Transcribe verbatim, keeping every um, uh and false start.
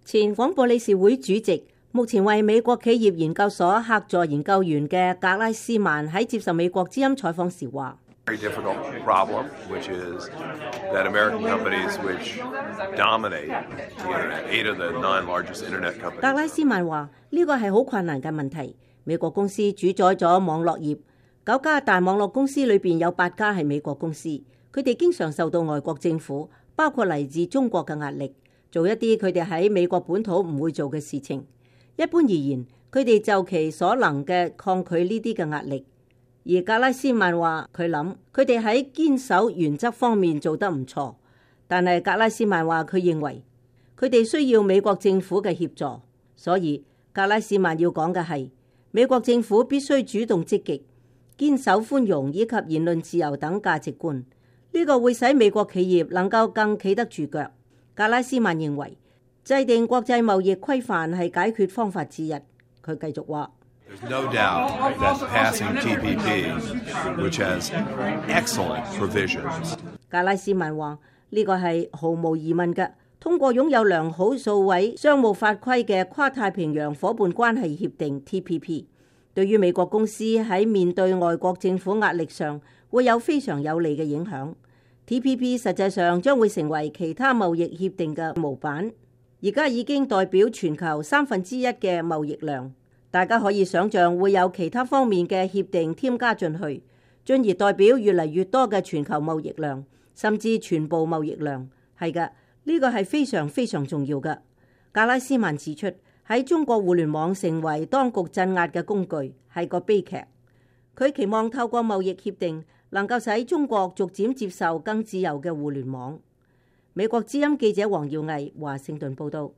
前廣播理事會主席，目前為美國企業研究所客座研究員嘅格拉斯曼喺接受美國之音採訪時話：Very difficult problem, which is that American companies which dominate the internet, eight of the nine largest internet companies. 格拉斯曼話呢個係好困難嘅問題。美國公司主宰咗網絡業，九家大網絡公司裏邊有八家係美國公司，佢哋經常受到外國政府，包括嚟自中國嘅壓力，做一啲佢哋喺美國本土唔會做嘅事情。一般而言，佢哋就其所能嘅抗拒呢啲嘅壓力。而格拉斯曼話佢諗佢哋喺堅守原則方面做得唔錯，但係格拉斯曼話佢認為佢哋需要美國政府嘅協助，所以格拉斯曼要講嘅係美國政府必須主動積極，堅守寬容以及言論自由等價值觀，呢個會使美國企業能夠更企得住腳。格拉斯曼認為制定國際貿易規範係解決方法之一。佢繼續話：There's no doubt that passing T P P, which has excellent provisions. 格拉斯曼話呢個係毫無疑問嘅，通過擁有良好數位商務法規嘅跨太平洋夥伴關係協定 T P P， 對於美國公司喺面對外國政府壓力上會有非常有利嘅影響。T P P 實際上將會成為其他貿易協定嘅模板，而家已經代表全球三分之一嘅貿易量。大家可以想象會有其他方面嘅協定添加進去，進而代表越嚟越多嘅全球貿易量，甚至全部貿易量。係嘅，呢個係非常非常重要嘅。格拉斯曼指出，喺中國互聯網成為當局鎮壓嘅工具係個悲劇。佢期望透過貿易協定能夠使中國逐漸接受更自由嘅互聯網。美國之音記者黃耀毅華盛頓報道。